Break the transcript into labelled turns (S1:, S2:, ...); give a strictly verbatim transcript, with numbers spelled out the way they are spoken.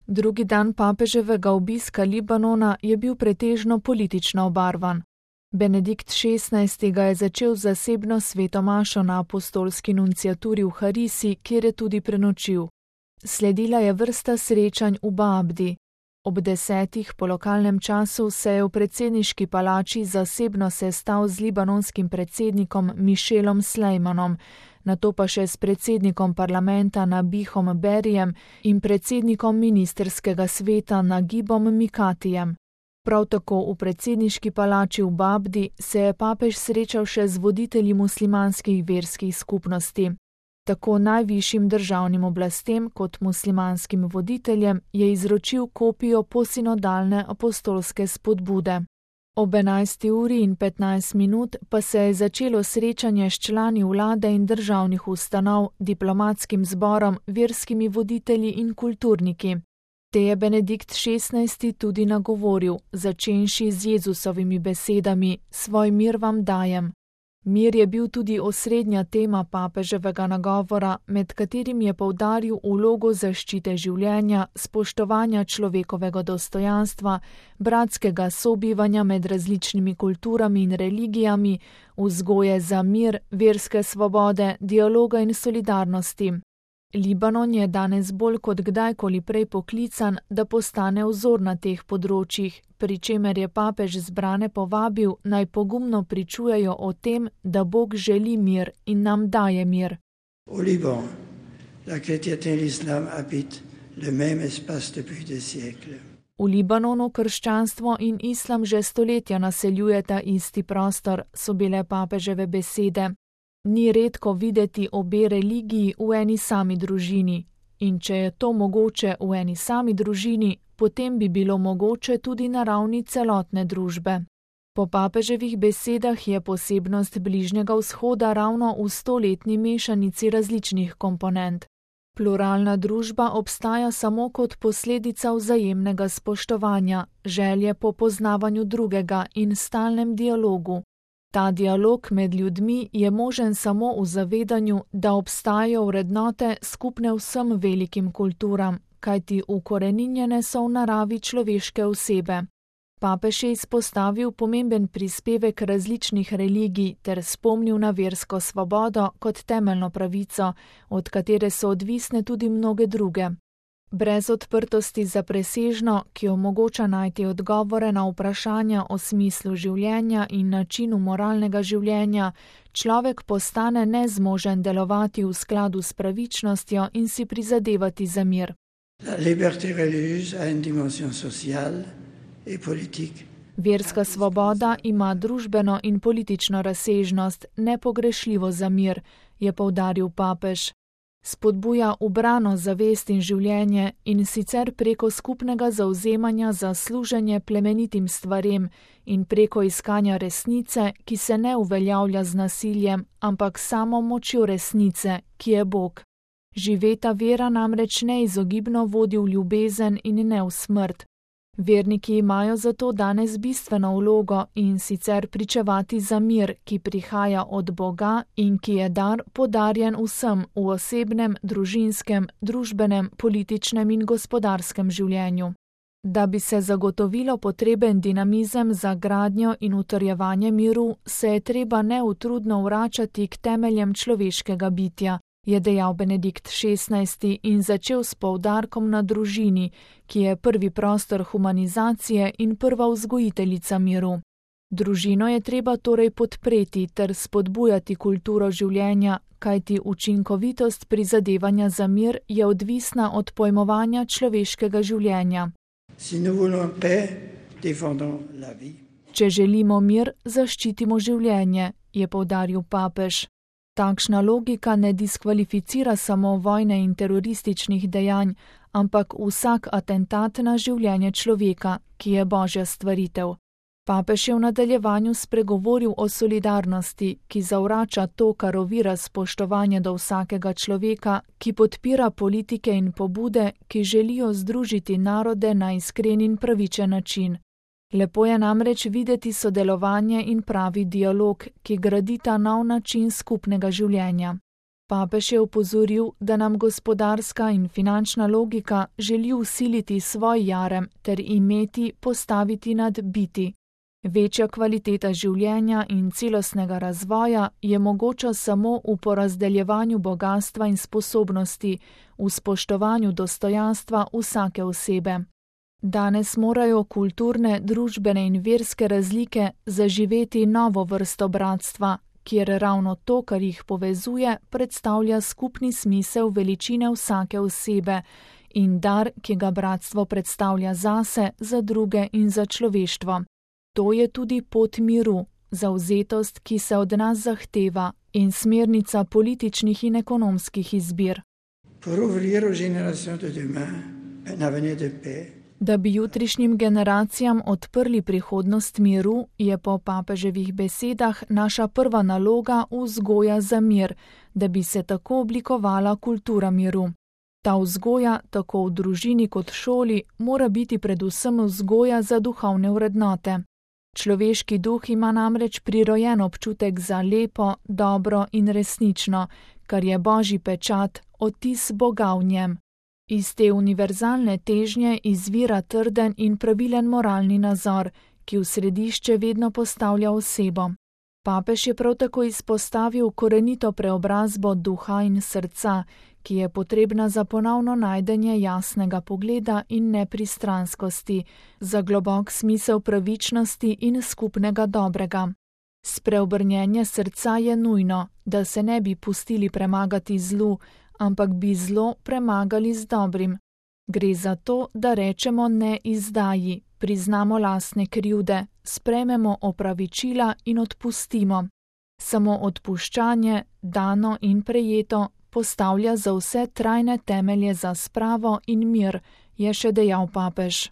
S1: Drugi dan papeževega obiska Libanona je bil pretežno politično obarvan. Benedikt šestnajsti ga je začel z zasebno sveto mašo na apostolski nunciaturi v Harisi, kjer je tudi prenočil. Sledila je vrsta srečanj v Baabdi. Ob desetih po lokalnem času se je v predsedniški palači zasebno sestal z libanonskim predsednikom Mišelom Slejmanom, nato pa še s predsednikom parlamenta Nabihom Berijem in predsednikom ministerskega sveta Nagibom Mikatijem. Prav tako v predsedniški palači v Baabdi se je papež srečal še z voditelji muslimanskih verskih skupnosti. Tako najvišjim državnim oblastem kot muslimanskim voditeljem je izročil kopijo posinodalne apostolske spodbude. Ob enajsti uri in petnajst minut pa se je začelo srečanje s člani vlade in državnih ustanov, diplomatskim zborom, verskimi voditelji in kulturniki. Te je Benedikt šestnajsti tudi nagovoril, začenši z Jezusovimi besedami: "Svoj mir vam dajem." Mir je bil tudi osrednja tema papeževega nagovora, med katerim je poudaril vlogo zaščite življenja, spoštovanja človekovega dostojanstva, bratskega sobivanja med različnimi kulturami in religijami, vzgoje za mir, verske svobode, dialoga in solidarnosti. Libanon je danes bolj kot kdajkoli prej poklican, da postane vzor na teh področjih, pri čemer je papež zbrane povabil, naj pogumno pričujejo o tem, da Bog želi mir in nam daje mir.
S2: Au Liban, la chrétienté et l'islam habitent le même espace depuis des siècles.
S1: V Libanonu krščanstvo in islam že stoletja naseljujeta isti prostor, so bile papeževe besede. Ni redko videti obe religiji v eni sami družini, in če je to mogoče v eni sami družini, potem bi bilo mogoče tudi na ravni celotne družbe. Po papeževih besedah je posebnost Bližnjega vzhoda ravno v stoletni mešanici različnih komponent. Pluralna družba obstaja samo kot posledica vzajemnega spoštovanja, želje po poznavanju drugega in stalnem dialogu. Ta dialog med ljudmi je možen samo v zavedanju, da obstajajo vrednote skupne vsem velikim kulturam, kajti ukoreninjene so v naravi človeške osebe. Papež je izpostavil pomemben prispevek različnih religij ter spomnil na versko svobodo kot temeljno pravico, od katere so odvisne tudi mnoge druge. Brez odprtosti za presežno, ki omogoča najti odgovore na vprašanja o smislu življenja in načinu moralnega življenja, človek postane nezmožen delovati v skladu s pravičnostjo in si prizadevati za mir.
S2: La liberté religieuse a une dimension sociale et politique.
S1: Verska svoboda ima družbeno in politično razsežnost, nepogrešljivo za mir, je poudaril papež. Spodbuja ubrano zavest in življenje in sicer preko skupnega zavzemanja za služenje plemenitim stvarem in preko iskanja resnice, ki se ne uveljavlja z nasiljem, ampak samo močjo resnice, ki je Bog. Živeta vera namreč neizogibno vodi v ljubezen in ne v smrt. Verniki imajo zato danes bistveno vlogo in sicer pričevati za mir, ki prihaja od Boga in ki je dar podarjen vsem v osebnem, družinskem, družbenem, političnem in gospodarskem življenju. Da bi se zagotovilo potreben dinamizem za gradnjo in utrjevanje miru, se je treba neutrudno vračati k temeljem človeškega bitja, je dejal Benedikt šestnajsti in začel s poudarkom na družini, ki je prvi prostor humanizacije in prva vzgojiteljica miru. Družino je treba torej podpreti ter spodbujati kulturo življenja, kajti učinkovitost prizadevanja za mir je odvisna od pojmovanja človeškega življenja.
S2: Si nous voulons paix, défendons la vie.
S1: Če želimo mir, zaščitimo življenje, je poudaril papež. Takšna logika ne diskvalificira samo vojne in terorističnih dejanj, ampak vsak atentat na življenje človeka, ki je Božja stvaritev. Papež je v nadaljevanju spregovoril o solidarnosti, ki zavrača to, kar ovira spoštovanje do vsakega človeka, ki podpira politike in pobude, ki želijo združiti narode na iskren in pravičen način. Lepo je namreč videti sodelovanje in pravi dialog, ki gradita nov način skupnega življenja. Papež je opozoril, da nam gospodarska in finančna logika želi vsiliti svoj jarem ter imeti postaviti nad biti. Večja kvaliteta življenja in celostnega razvoja je mogoča samo v porazdeljevanju bogastva in sposobnosti, v spoštovanju dostojanstva vsake osebe. Danes morajo kulturne, družbene in verske razlike zaživeti novo vrsto bratstva, kjer ravno to, kar jih povezuje, predstavlja skupni smisel veličine vsake osebe in dar, ki ga bratstvo predstavlja zase, za druge in za človeštvo. To je tudi pot miru, zavzetost, ki se od nas zahteva, in smernica političnih in ekonomskih izbir. Da bi jutrišnjim generacijam odprli prihodnost miru, je po papeževih besedah naša prva naloga vzgoja za mir, da bi se tako oblikovala kultura miru. Ta vzgoja, tako v družini kot šoli, mora biti predvsem vzgoja za duhovne vrednote. Človeški duh ima namreč prirojen občutek za lepo, dobro in resnično, kar je božji pečat, odtis Boga v njem. Iz te univerzalne težnje izvira trden in pravilen moralni nazor, ki v središče vedno postavlja osebo. Papež je prav tako izpostavil korenito preobrazbo duha in srca, ki je potrebna za ponovno najdenje jasnega pogleda in nepristranskosti, za globok smisel pravičnosti in skupnega dobrega. Spreobrnjenje srca je nujno, da se ne bi pustili premagati zlu, ampak bi zlo premagali z dobrim. Gre za to, da rečemo ne izdaji, priznamo lastne krivde, sprejmemo opravičila in odpustimo. Samo odpuščanje, dano in prejeto, postavlja za vse trajne temelje za spravo in mir, je še dejal papež.